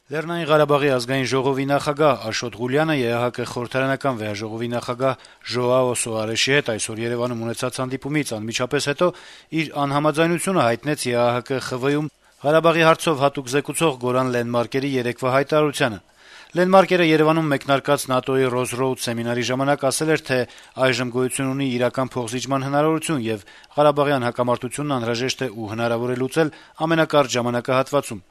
Լեռնային Ղարաբաղի ազգային ժողովի նախագահ Աշոտ Ղուլյանը ԵԱՀԿ խորհրդարանական վեհաժողովի նախագահ Ժոաո Սոարեշի հետ այսօր Երեւանում ունեցած հանդիպումից անմիջապես հետո իր անհամաձայնությունը հայտնեց ԵԱՀԿ ԽՎ-ում Ղարաբաղի հարցով հատուկ զեկուցող Գորան Լենդմարկերի երեկվա հայտարարությանը։ Լենդմարկերը Երեւանում մեկնարկած ՆԱՏՕ-ի Ռոզրոուդ սեմինարի ժամանակ ասել էր, թե այժմ գոյություն ունի իրական փոխզիջման հնարավորություն եւ ղարաբաղյան հակամարտությունն անհրաժեշտ է ու հնարավոր է լուծել ամենակարճ ժամանակահատվածում։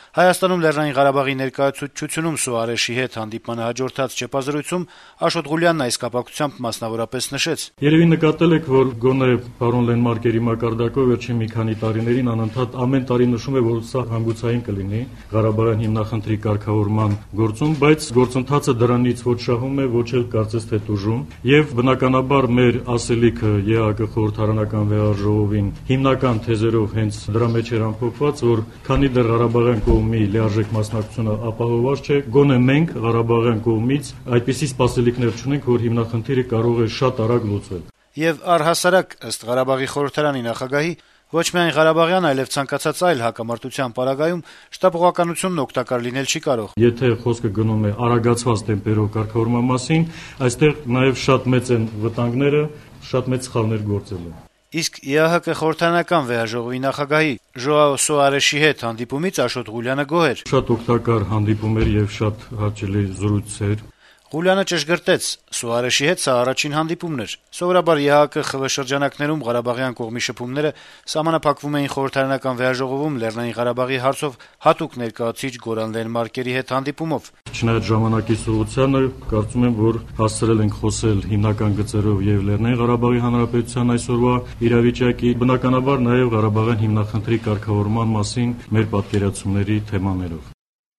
Հայաստանում Լեռնային Ղարաբաղի ներկայացուցչությունում Սոարեշի հետ հանդիպմանը հաջորդած չեպազրույցում Աշոտ Ղուլյանն այս կապակցությամբ մասնավորապես նշեց. «Երևի նկատել եք, որ գոնե պարոն Լենդմարկերի մակարդակով վերջին մի քանի տարիներին անընդհատ ամեն տարի նշում է, որ սա հանգուցային կլինի Ղարաբաղյան հիմնախնդրի կարգավորման գործում, բայց գործընթացը դրանից ոչ շահում է, ոչ էլ կարծես թե տուժում, եւ բնականաբար մեր ասելիքը ԵԱՀԿ խորհրդարանական վեհաժողովին հիմնական թեզերով հենց դրա մեջ էր ամփոփված, որ քանի դեռ Ղարաբաղյան կողմի լիարժեք մասնակցությունը ապահովված չէ, գոնե մենք Ղարաբաղյան կողմից այդպիսի սպասելիքներ չունենք, որ հիմնախնդիրը կարող է շատ արագ լուծվել»։ Եվ առհասարակ, ըստ Ղարաբաղի խորհրդարանի նախագահի, ոչ միայն Ղարաբաղյան, այլև ցանկացած այլ հակամարտության պարագայում շտապողականությունն օգտակար լինել չի կարող։ Եթե խոսքը գնում է արագացված տեմպերով կարգավորման մասին, այստեղ նաև շատ մեծ են վտանգները, շատ մեծ սխալներ գործելու։ Իսկ ԵԱՀԿ խորհրդարանական վեհաժողովի նախագահի Ժոաո Սոարեշի հետ հանդիպումից Աշոտ Ղուլյանը գոհ էր։ Շատ օգտակար հանդիպում էր եւ շատ հաճելի զրույցեր։ Ղուլյանը ճշգրտեց. Սոարեշի հետ սա առաջին հանդիպումն էր։ Սովորաբար ԵԱՀԿ ԽՎ շրջանակներում Ղարաբաղյան կողմի շփումները սահմանափակվում էին խորհրդարանական վեհաժողովում Լեռնային Ղարաբաղի հարցով հատուկ ներկայացուցիչ Գորան Լենդմարկերի հետ հանդիպումով։ Չնայած ժամանակի սուրությանը, կարծում եմ, որ հասցրել ենք խոսել հիմնական գծերով եւ Լեռնային Ղարաբաղի Հանրապետության այսօրվա իրավիճակի, բնականաբար նաեւ Ղարաբաղյան հիմնախնդրի կարգավորման մասին մեր պատկերացումների թեմաներով։